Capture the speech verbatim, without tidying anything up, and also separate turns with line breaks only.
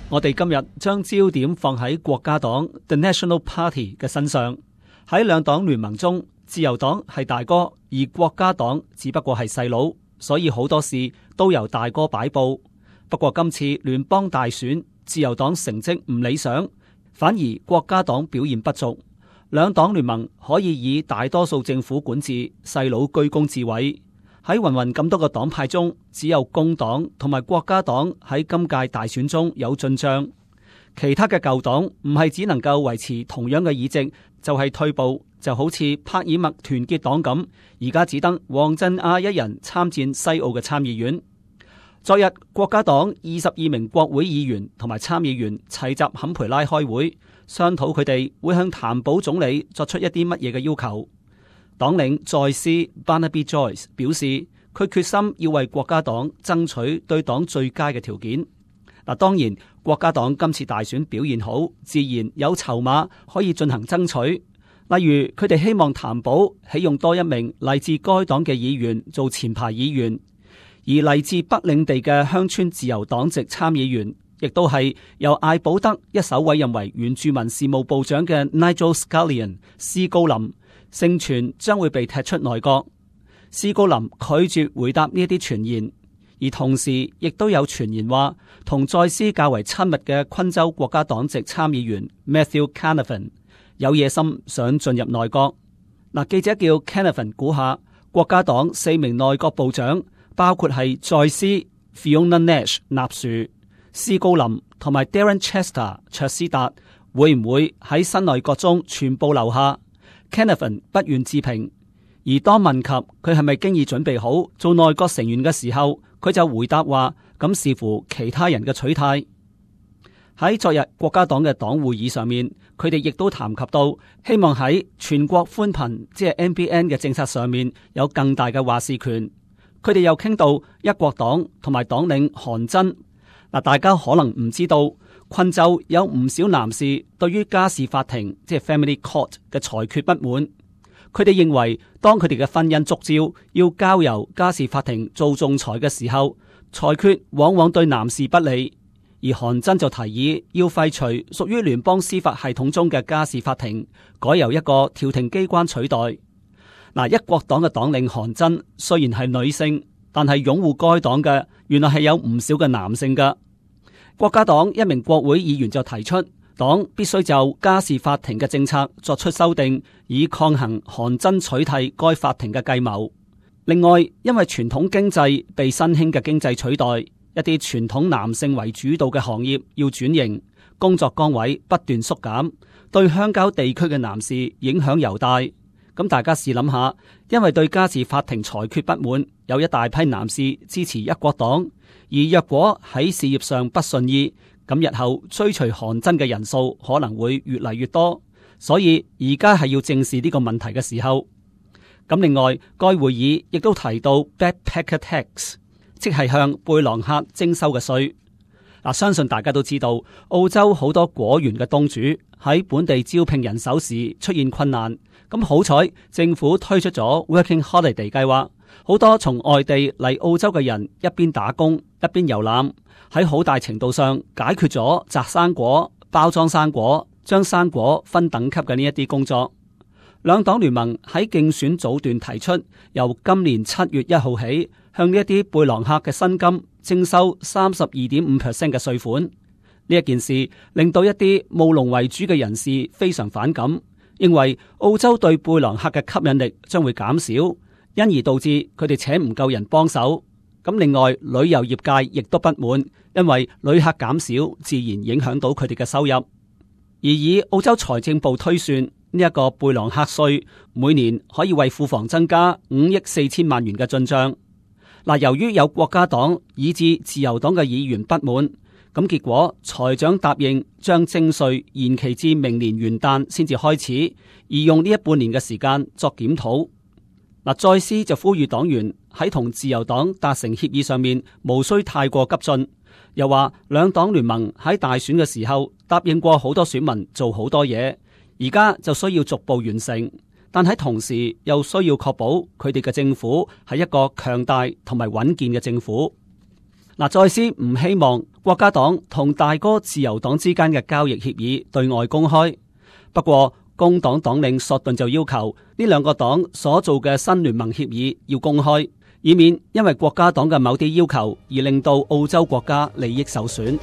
我哋今日將焦點放喺國家黨 The National Party 嘅身上。喺兩黨聯盟中，自由黨係大哥，而國家黨只不過係細佬，所以好多事都由大哥擺佈。不過今次聯邦大選，自由黨成績唔理想，反而國家黨表現不俗。兩黨聯盟可以以大多數政府管治，細佬居功至偉。喺芸芸咁多個黨派中，只有工黨同埋國家黨喺今屆大選中有進賬，其他嘅舊黨唔係只能夠維持同樣嘅議席，就係退步，就好似帕爾默團結黨咁，而家只得黃振亞一人參戰西澳嘅參議院。昨日國家黨二十二名國會議員同埋參議員齊集坎培拉開會，商討佢哋會向譚寶總理作出一啲乜嘢嘅要求。黨領在斯 Barnaby Joyce 表示，佢決心要為國家黨爭取對黨最佳嘅條件。嗱，當然國家黨今次大選表現好，自然有籌碼可以進行爭取。例如，佢哋希望譚寶起用多一名嚟自該黨嘅議員做前排議員，而嚟自北領地嘅鄉村自由黨籍參議員，亦都係由艾保德一手委任為原住民事務部長嘅 Nigel Scullion 斯高林，盛傳將會被踢出內閣。斯高林拒絕回答呢一啲傳言，而同時亦都有傳言話，同在斯較為親密嘅昆州國家黨籍參議員 Matthew Canavan 有野心想進入內閣。嗱，記者叫 Canavan 估下，國家黨四名內閣部長，包括係在斯 Fiona Nash 納殊、斯高林同埋 Darren Chester 卓斯達，會唔會喺新內閣中全部留下？Canavan 不願置評，而當問及佢係咪經已準備好做內閣成員嘅時候，佢就回答話：咁視乎其他人嘅取態。喺昨日國家黨嘅黨會議上面，佢哋亦都談及到希望喺全國寬頻即係 N B N 嘅政策上面有更大嘅話事權。佢哋又傾到一國黨同埋黨領韓真。嗱，大家可能唔知道，昆州有唔少男士對於家事法庭即係 Family Court 嘅裁決不滿，佢哋認為當佢哋嘅婚姻觸礁要交由家事法庭做仲裁嘅時候，裁決往往對男士不利。而韓真就提議要廢除屬於聯邦司法系統中嘅家事法庭，改由一個調停機關取代。嗱，一國黨嘅黨領韓真雖然係女性，但係擁護該黨嘅原來係有唔少嘅男性噶。國家黨一名國會議員就提出，黨必須就家事法庭嘅政策作出修訂，以抗衡韓真取締該法庭嘅計謀。另外，因為傳統經濟被新興嘅經濟取代，一啲傳統男性為主導嘅行業要轉型，工作崗位不斷縮減，對鄉郊地區嘅男士影響尤大。咁大家試諗下，因為對家事法庭裁決不滿，有一大批男士支持一國黨，而若果喺事業上不順意，咁日後追隨韓真嘅人數可能會越嚟越多。所以而家係要正視呢個問題嘅時候。咁另外，該會議亦都提到 backpacker tax， 即係向背囊客徵收嘅稅。嗱，相信大家都知道，澳洲好多果園嘅東主喺本地招聘人手時出現困難。咁好彩，政府推出咗 Working Holiday 計劃，好多從外地嚟澳洲嘅人一邊打工一邊遊覽，喺好大程度上解決咗摘生果、包裝生果、將生果分等級嘅呢一啲工作。兩黨聯盟喺競選早段提出，由今年七月一號起，向呢一啲背囊客嘅薪金徵收三十二點五 percent 嘅稅款。呢一件事令到一啲務農為主嘅人士非常反感，認為澳洲對背囊客嘅吸引力將會減少，因而導致佢哋請唔夠人幫手。咁另外，旅遊業界亦都不滿，因為旅客減少，自然影響到佢哋嘅收入。而以澳洲財政部推算，呢一個背囊客稅每年可以為庫房增加五億四千萬元嘅進賬。嗱，由於有國家黨以至自由黨嘅議員不滿，咁結果財長答應將徵稅延期至明年元旦先至開始，而用呢一半年嘅時間作檢討。嗱，再斯就呼籲黨員喺同自由黨達成協議上面無需太過急進，又話兩黨聯盟喺大選嘅時候答應過好多選民做好多嘢，而家就需要逐步完成，但喺同時又需要確保佢哋嘅政府係一個強大同埋穩健嘅政府。嗱，再斯唔希望國家黨同大哥自由黨之間嘅交易協議對外公開。不過工黨黨領索頓就要求呢兩個黨所做嘅新聯盟協議要公開，以免因為國家黨嘅某啲要求而令到澳洲國家利益受損。